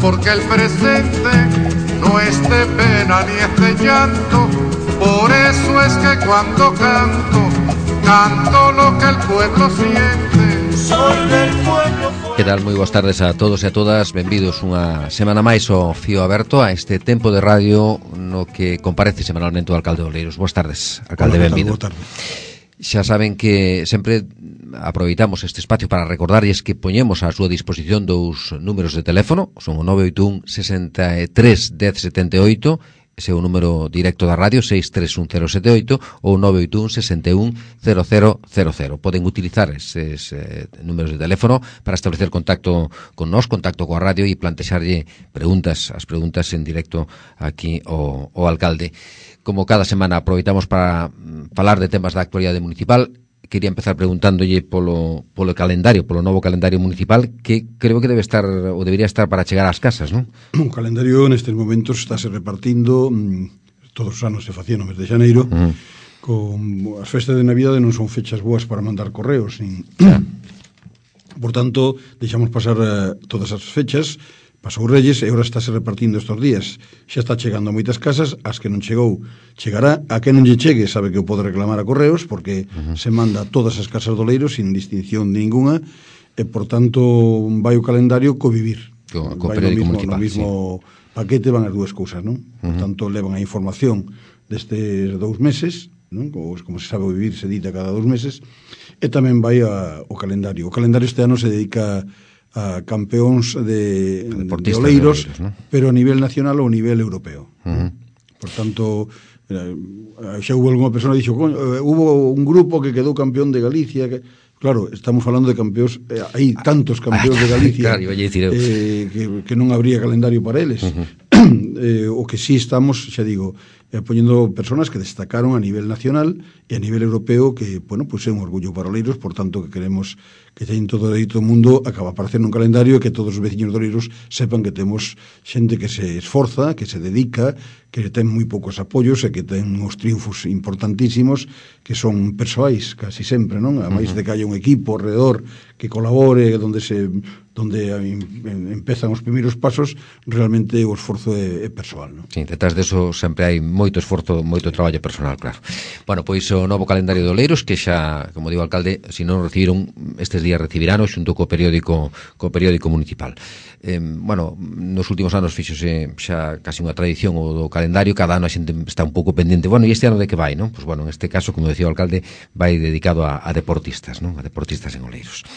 porque el presente no es de pena ni es de llanto. Por eso es que cuando canto, canto lo que el pueblo siente. Soy del pueblo. Que tal? Moi boas tardes a todos e a todas. Benvidos unha semana máis ao Fío Aberto, a este tempo de radio no que comparece semanalmente o alcalde de Oleiros. Boas tardes, alcalde, benvido. Boa tarde. Xa saben que sempre aproveitamos este espacio para recordarlles que poñemos á súa disposición dous números de teléfono, son o 981 63 10 78, ese é o número directo da radio, 6310078, ou 981 61 0000. Poden utilizar eses números de teléfono para establecer contacto con nós, contacto coa radio e plantexarlle preguntas, as preguntas en directo aquí ao alcalde. Como cada semana aproveitamos para falar de temas da actualidade municipal, quería empezar preguntándolle polo calendario, polo novo calendario municipal, que creo que debe estar ou debería estar para chegar ás casas, non? O calendario nestes momentos estáse repartindo, todos os anos se facía no mes de xaneiro, con as festas de Navidade non son fechas boas para mandar correos, nin... Por tanto, deixamos pasar todas as fechas. Pasou Reyes e agora estáse repartindo estes días. Xa está chegando a moitas casas, as que non chegou chegará, a que non lle chegue sabe que o pode reclamar a correos, porque se manda a todas as casas do Oleiros sin distinción ninguna, e por tanto vai o calendario co vivir. Co periódico municipal, no mismo paquete van as dúas cousas, non? Por tanto levan a información destes 2 meses, non? Como se sabe, o vivir se edita cada 2 meses, e tamén vai o calendario. O calendario este ano se dedica a campeóns de Oleiros, ¿no? Pero a nivel nacional ou a nivel europeo. Por tanto, xa hubo alguna persona que dixo, hubo un grupo que quedou campeón de Galicia, claro, estamos falando de campeóns, hai tantos campeóns de Galicia, claro, que non habría calendario para eles. O que sí estamos, xa digo, poñendo personas que destacaron a nivel nacional e a nivel europeo, que, bueno, pues é un orgullo para Oleiros, por tanto que queremos que teñen todo o dereito do mundo acaba aparecendo un calendario e que todos os veciños de Oleiros sepan que temos xente que se esforza, que se dedica, que ten moi poucos apoios e que ten uns triunfos importantísimos que son persoais casi sempre, non? A máis de que haya un equipo alrededor que colabore, onde empezan os primeiros pasos, realmente o esforzo é persoal, non? Sí, detrás deso sempre hai moito esforzo, moito traballo personal, claro. Bueno, pois o novo calendario de Oleiros, que xa, como digo, alcalde, se non recibiron estes días recibirano xunto co periódico municipal. Bueno, nos últimos anos fíxose xa casi unha tradición o do calendario, cada ano a xente está un pouco pendente. Bueno, e este ano de que vai, non? Pois bueno, en este caso, como decía o alcalde, vai dedicado a deportistas, non? A deportistas en Oleiros.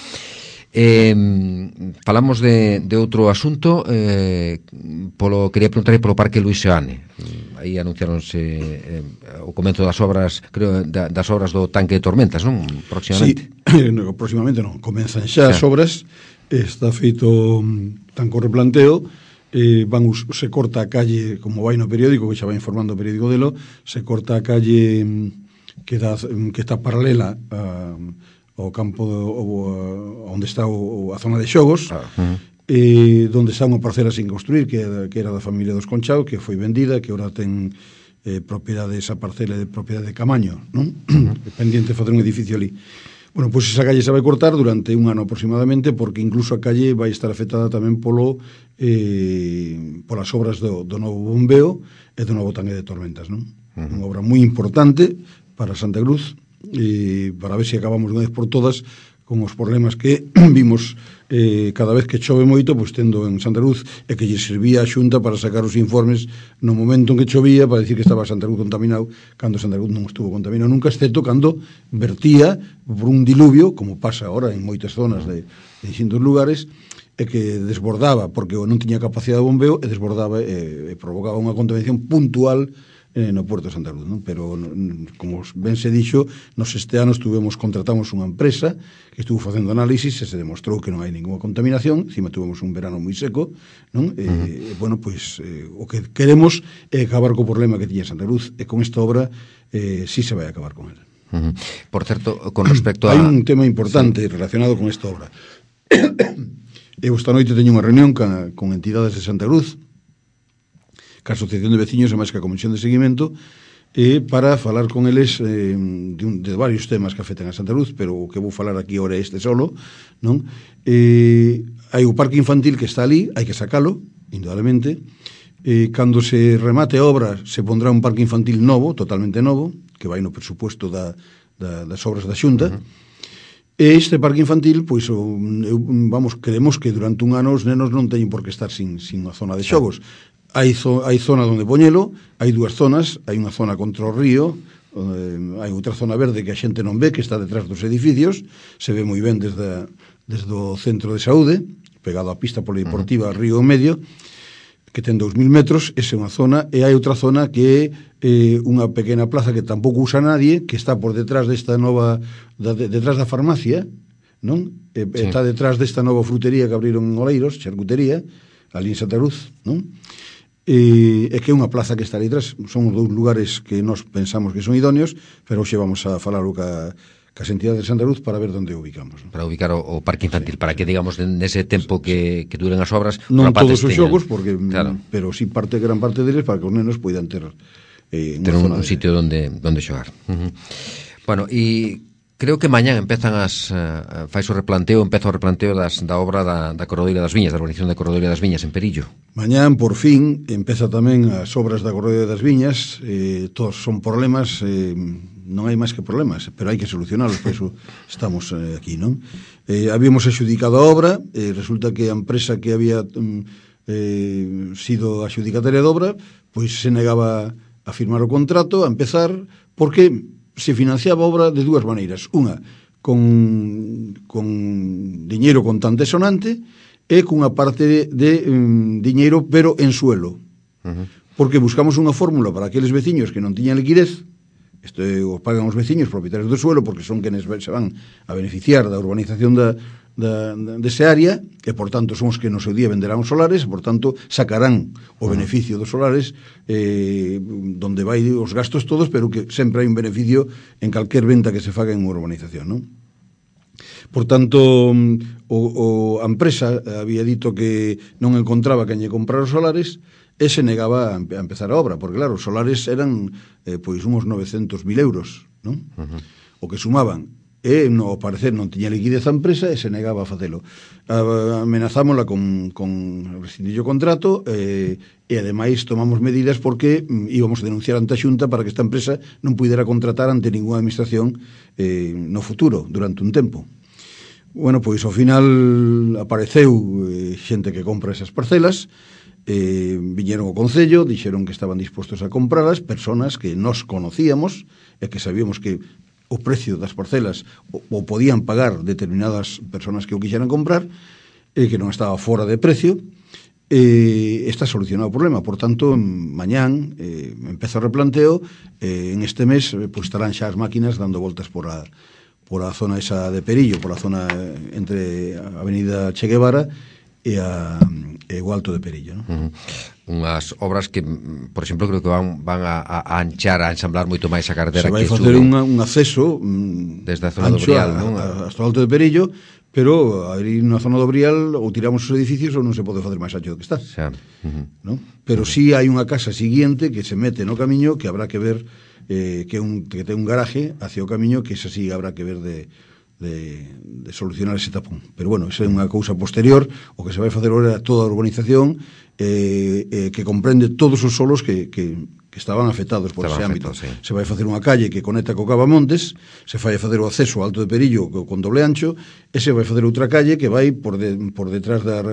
Falamos de outro asunto, quería preguntarle polo Parque Luís Seoane. Aí anunciaronse o comenzo das obras, creo, das obras do tanque de tormentas, non? Próximamente. Sí, próximamente non, comenzan xa as obras, está feito tan co replanteo, se corta a calle, como vai no periódico, que xa vai informando o periódico delo, se corta a calle que está paralela ao campo onde está a zona de xogos, donde está unha parcela sin construir, que era da familia dos Conchao, que foi vendida, que agora ten propiedade, esa parcela de propiedade de Camaño, non? Pendiente de facer un edificio ali. Bueno, pois esa calle se vai cortar durante un ano aproximadamente, porque incluso a calle vai estar afectada tamén polas obras do novo bombeo e do novo tanque de tormentas, non? Unha obra moi importante para Santa Cruz, e para ver se acabamos de unha vez por todas con os problemas que vimos cada vez que chove moito, pois tendo en Santa Cruz, e que lle servía a Xunta para sacar os informes no momento en que chovía, para dicir que estaba Santa Cruz contaminado, cando Santa Cruz non estuvo contaminado nunca, excepto cando vertía por un diluvio, como pasa ahora en moitas zonas de distintos lugares, e que desbordaba, porque non tiña capacidade de bombeo, e desbordaba e provocaba unha contaminación puntual no Porto de Santa Cruz, non? Pero, como ben se dixo, nos este ano contratamos unha empresa que estuvo facendo análisis e se demostrou que non hai ninguna contaminación, encima tuvemos un verano moi seco, non? Bueno, pois, o que queremos é acabar co problema que tiña Santa Cruz, e con esta obra sí se vai acabar con ele. Por certo, con respecto a... Hai un tema importante relacionado con esta obra. Eu esta noite teño unha reunión con entidades de Santa Cruz, que a Asociación de Veciños e máis que a Comisión de Seguimento, para falar con eles de varios temas que afectan a Santa Cruz, pero o que vou falar aquí ahora é este solo, non? Hai o parque infantil que está ali, hai que sacalo, indudablemente. Cando se remate a obra se pondrá un parque infantil novo, totalmente novo, que vai no presupuesto das obras da Xunta. E este parque infantil, pois, creemos que durante un ano os nenos non teñen por que estar sin unha zona de xogos. Hai zona onde poñelo, hai dúas zonas, hai unha zona contra o río, hai outra zona verde que a xente non ve, que está detrás dos edificios, se ve moi ben desde o centro de saúde, pegado á pista polideportiva Río Medio, que ten 2.000 metros, esa é unha zona, e hai outra zona que é unha pequena plaza que tampouco usa nadie, que está por detrás desta nova, detrás da farmacia, non? Sí. Está detrás desta nova frutería que abriron en Oleiros, charcutería, ali en Santa Cruz, non? E que é unha plaza que está ali detrás. Son dous lugares que nós pensamos que son idóneos, pero hoxe vamos a falar cas entidades de Santa Cruz para ver onde ubicamos. Para ubicar o parque infantil, sí, para que, digamos, nese tempo que duren as obras... Non todos os xogos, porque, claro, pero sí gran parte deles para que os nenos poidan ter un sitio onde xogar. Bueno, e creo que mañán empeza o replanteo da obra da Corredoira das Viñas, da urbanización da Corredoira das Viñas en Perillo. Mañán, por fin, empeza tamén as obras da Corredoira das Viñas. Todos son problemas, non hai máis que problemas, pero hai que solucionalos, por iso estamos aquí, non? Habíamos adxudicado a obra, resulta que a empresa que había sido adxudicataria da obra, pois se negaba a firmar o contrato, a empezar, porque se financiaba a obra de dúas maneiras. Unha, con diñeiro contante e sonante, e cunha parte de diñeiro, pero en suelo. Porque buscamos unha fórmula para aqueles veciños que non tiñan liquidez. Isto o pagan os veciños propietarios do suelo, porque son quenes se van a beneficiar da urbanización dese área, e, por tanto, son os que no seu día venderán os solares, e, por tanto, sacarán o beneficio dos solares donde vai os gastos todos, pero que sempre hai un beneficio en calquer venta que se faga en unha urbanización, non? Por tanto, a empresa había dito que non encontraba quen lle comprar os solares, e se negaba a empezar a obra, porque, claro, os solares eran pois uns 900.000 euros, non? O que sumaban, e ao parecer non tiña liquidez a empresa e se negaba a facelo. Amenazámola con rescindir o contrato e ademais tomamos medidas porque íbamos a denunciar ante a Xunta para que esta empresa non pudera contratar ante ninguna administración no futuro, durante un tempo. Bueno, pois ao final apareceu xente que compra esas parcelas, viñeron ao Concello, dixeron que estaban dispostos a comprarlas, personas que nos conocíamos e que sabíamos que o precio das parcelas o podían pagar determinadas personas que o quixeran comprar, e que non estaba fora de precio. Está solucionado o problema. Por tanto, mañán empeza o replanteo, en este mes pues, estarán xa as máquinas dando voltas por a zona esa de Perillo, por a zona entre a avenida Che Guevara e o Alto de Perillo, non? Unhas obras que, por exemplo, creo que van a anchar, a ensamblar moito máis a carretera. Se vai facer un acceso desde a zona do Brial, non? Hasta o Alto de Perillo, pero aí na zona do Brial ou tiramos os edificios ou non se pode facer máis ancho do que está, non? Pero sí hai unha casa siguiente que se mete no camiño, que habrá que ver, que ten un garaje hacia o camiño, que esa sí habrá que ver de solucionar ese tapón. Pero bueno, esa é unha cousa posterior. O que se vai facer agora é toda a urbanización que comprende todos os solos que estaban afectados por ese ámbito. Sí. Se vai facer unha calle que conecta co Cavamontes, se vai facer o acceso ao Alto de Perillo con doble ancho, e se vai facer outra calle que vai por detrás da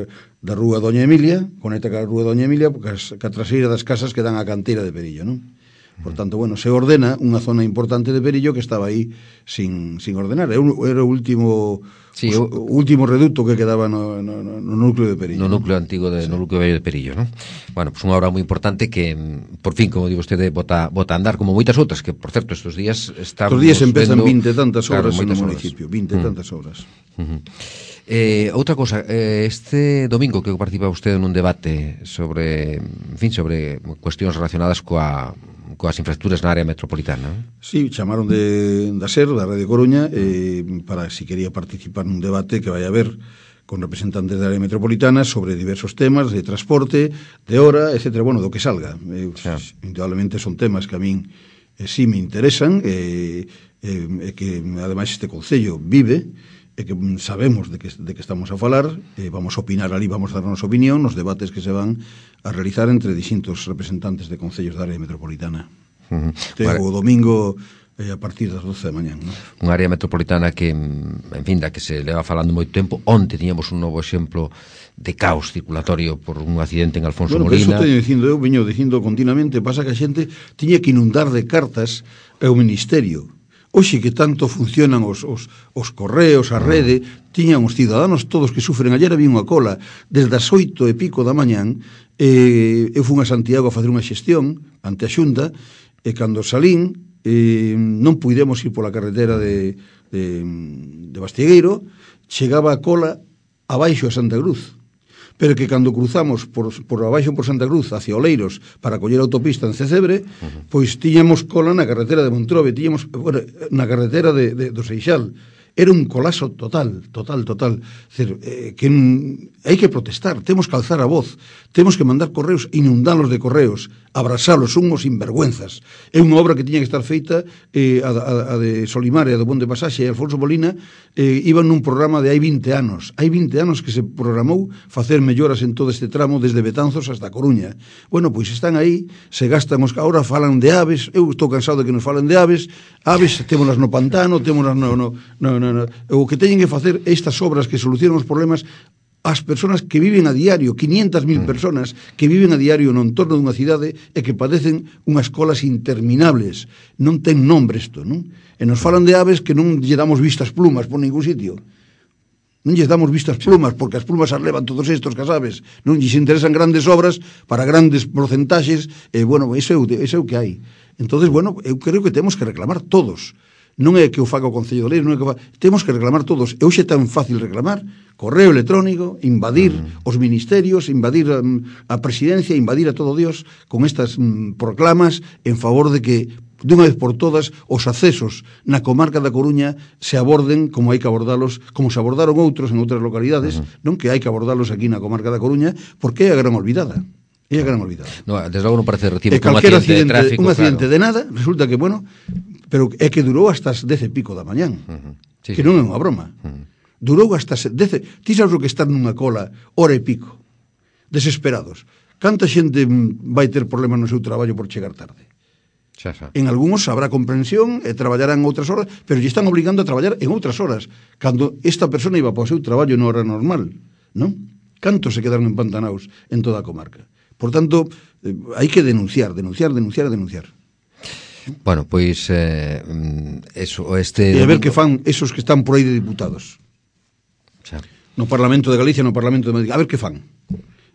rúa Doña Emilia, conecta ca rúa Doña Emilia, ca traseira das casas que dan a canteira de Perillo, non? Por tanto, bueno, se ordena unha zona importante de Perillo que estaba aí sin ordenar. Era o último, sí, o último reducto que quedaba no núcleo de Perillo. No núcleo antigo, no núcleo vello de Perillo, non? Bueno, pues unha obra moi importante que, por fin, como digo vostede, bota a andar, como moitas outras, que, por certo, estes días estamos... Estos días empezan 20 tantas obras no municipio, 20 tantas obras. Outra cosa, este domingo que participa vostede nun debate sobre cuestións relacionadas coas infraestructuras na área metropolitana. Sí, chamaron da SER, da Radio Coruña, para si quería participar nun debate que vai haber con representantes da área metropolitana sobre diversos temas de transporte, de hora, etc. Bueno, do que salga. Indudablemente son temas que a min sí me interesan, que ademais este Concello vive, e que sabemos de que estamos a falar, vamos a opinar ali, vamos a dar a nosa opinión nos debates que se van a realizar entre distintos representantes de concellos da área metropolitana. O domingo a partir das 12 da mañán, non? Unha área metropolitana que, en fin, da que se leva falando moito tempo. Onte tiñamos un novo exemplo de caos circulatorio por un accidente en Alfonso Molina. Eso teño dicindo, eu veño dicindo continuamente, pasa que a xente tiña que inundar de cartas ao Ministerio. Hoxe que tanto funcionan os correos, a rede, tiñan os ciudadanos todos que sufren. Ayer había unha cola desde as 8:00 da mañán. Eu fui a Santiago a facer unha xestión ante a Xunta, e cando salín non puidemos ir pola carretera de Bastiegueiro, chegaba a cola abaixo a Santa Cruz. Pero que cando cruzamos por abaixo por Santa Cruz hacia Oleiros para coller a autopista en Cecebre, pois tiñamos cola na carretera de Montrobe, tiñamos na carretera do Seixal. Era un colapso total. Decir, que hai que protestar, temos que alzar a voz, temos que mandar correos, inundalos de correos, abrasalos, son os sinvergüenzas. É unha obra que tiña que estar feita, a de Solimar e a do Ponte Pasaxe e Alfonso Molina, iban nun programa de hai 20 anos. Hai 20 anos que se programou facer melloras en todo este tramo desde Betanzos hasta Coruña. Bueno, pois están aí, se gastan ahora falan de aves, eu estou cansado de que nos falen de aves témolas no pantano, témolas o que teñen que facer estas obras que solucionan os problemas as persoas que viven a diario, 500.000 personas que viven a diario no entorno dunha cidade e que padecen unhas colas interminables. Non ten nombre isto, non? E nos falan de aves que non lle damos vistas plumas por ningún sitio. Non lles damos vistas plumas, porque as plumas as levan todos estos que as aves. Non lles interesan grandes obras para grandes porcentaxes, e, bueno, iso é o que hai. Entonces, bueno, eu creo que temos que reclamar todos. Non é que o faga o Concello de Oleiros, non é que temos que reclamar todos. E hoxe é tan fácil reclamar, correo electrónico, invadir os ministerios, invadir a presidencia, invadir a todo Dios con estas proclamas en favor de que dunha vez por todas os accesos na comarca da Coruña se aborden como hai que abordalos, como se abordaron outros en outras localidades, non que hai que abordalos aquí na comarca da Coruña, porque é a gran olvidada. É a gran olvidada. No, desde logo non parece recibo un accidente de tráfico. Un accidente de nada, resulta que, bueno, pero é que durou hasta as 10:00 da mañán. Sí, que non é unha broma. Durou hasta 10. Ti sabes o que estar nunha cola hora e pico, desesperados. Canta xente vai ter problemas no seu traballo por chegar tarde? En algúns habrá comprensión e traballarán outras horas, pero lle están obligando a traballar en outras horas, cando esta persona iba para o seu traballo na hora normal, non? Cantos se quedaron empantanados en toda a comarca. Por tanto, hai que denunciar. Bueno, pois eso, e a ver que fan esos que están por aí de diputados. No Parlamento de Galicia, no Parlamento de Madrid, a ver que fan,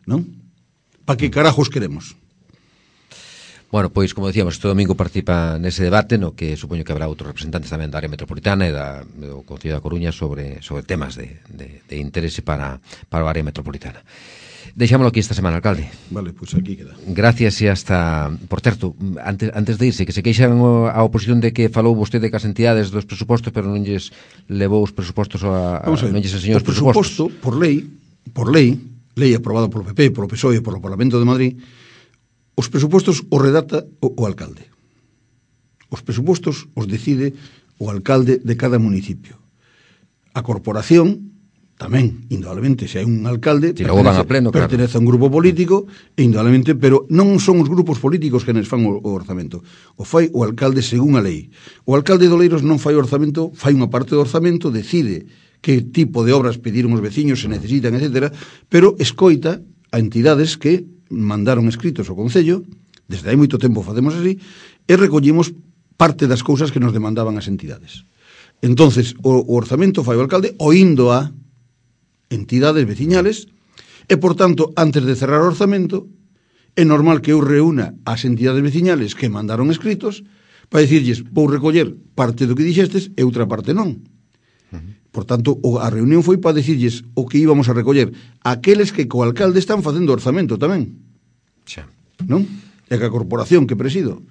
non? Pa que carajos queremos? Bueno, pois, como decíamos, este domingo participa nese debate, no que supoño que habrá outros representantes tamén da área metropolitana e do Concello da Coruña sobre temas de interese para a área metropolitana. Deixámoslo aquí esta semana, alcalde. Vale, pois aquí queda. Gracias e hasta... Por certo, antes de irse, que se queixan a oposición de que falou vostede cas entidades dos presupostos, pero non lles levou os presupostos non lles enseñou os presupostos. O presuposto, por lei aprobado polo PP, polo PSOE e polo Parlamento de Madrid, os presupostos os redacta o alcalde. Os presupostos os decide o alcalde de cada municipio. A corporación tamén, indudablemente, se hai un alcalde pertenece a un grupo político e indudablemente, pero non son os grupos políticos que nos fan o orzamento, o fai o alcalde según a lei. O alcalde de Oleiros non fai o orzamento, fai unha parte do orzamento, decide que tipo de obras pediron os veciños, se necesitan, etc., pero escoita a entidades que mandaron escritos ao Concello, desde hai moito tempo facemos así, e recollimos parte das cousas que nos demandaban as entidades. Entonces, o orzamento fai o alcalde oindo a entidades veciñales e, por tanto, antes de cerrar o orzamento, é normal que eu reúna as entidades veciñales que mandaron escritos para dicirlles, vou recoller parte do que dixestes e outra parte non. Por tanto, a reunión foi para dicirlles o que íbamos a recoller aqueles que co alcalde están facendo orzamento tamén. Non? E que a corporación que presido,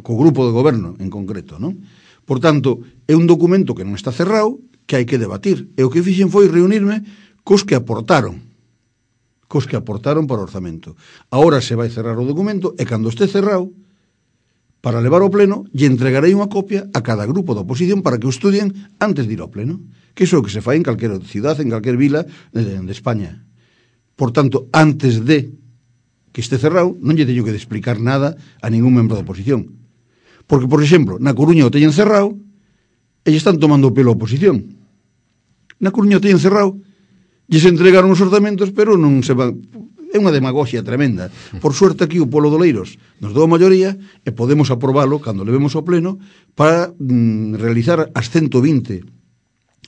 co grupo de goberno en concreto, non? Por tanto, é un documento que non está cerrado, que hai que debatir. E o que fixen foi reunirme cos que aportaron para o orzamento. Ahora se vai cerrar o documento e cando este cerrado, para levar ao pleno e entregarei unha copia a cada grupo da oposición para que o estudien antes de ir ao pleno, que iso é o que se fai en calquera cidade, en calquera vila de España. Por tanto, antes de que este cerrado, non lle teño que explicar nada a ningún membro da oposición. Porque, por exemplo, na Coruña o teñen cerrado e lle están tomando o pelo a oposición. Na Coruña o teñen cerrado, lle se entregaron os orzamentos, pero non se van... É unha demagogia tremenda. Por suerte aquí o Polo de Oleiros nos dou a maioría e podemos aprobalo cando levemos ao pleno para realizar as 120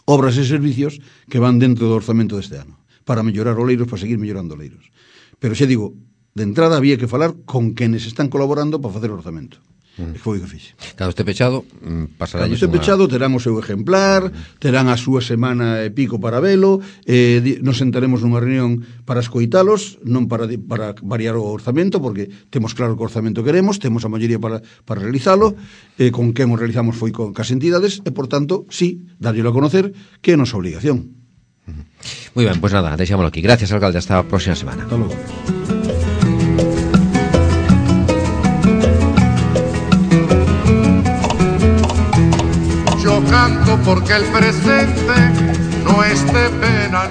obras e servicios que van dentro do orzamento deste ano, para mellorar Oleiros, para seguir mellorando Oleiros. Pero xa digo, de entrada había que falar con quenes están colaborando para facer o orzamento. E foi o que fixe. Cando este pechado, pasará cando este pechado terán o seu exemplar, terán a súa semana e pico para velo, nos sentaremos nunha reunión para escoitalos, non para variar o orzamento, porque temos claro que o orzamento queremos, temos a maioría para realizalo, con quen o realizamos foi con as entidades, e, por tanto, sí, darllelo a conocer, que é a nosa obligación. Moi ben, pois nada, deixámoslo aquí. Gracias, alcalde, hasta a próxima semana. Hasta logo. Yo canto porque el presente no esté pena.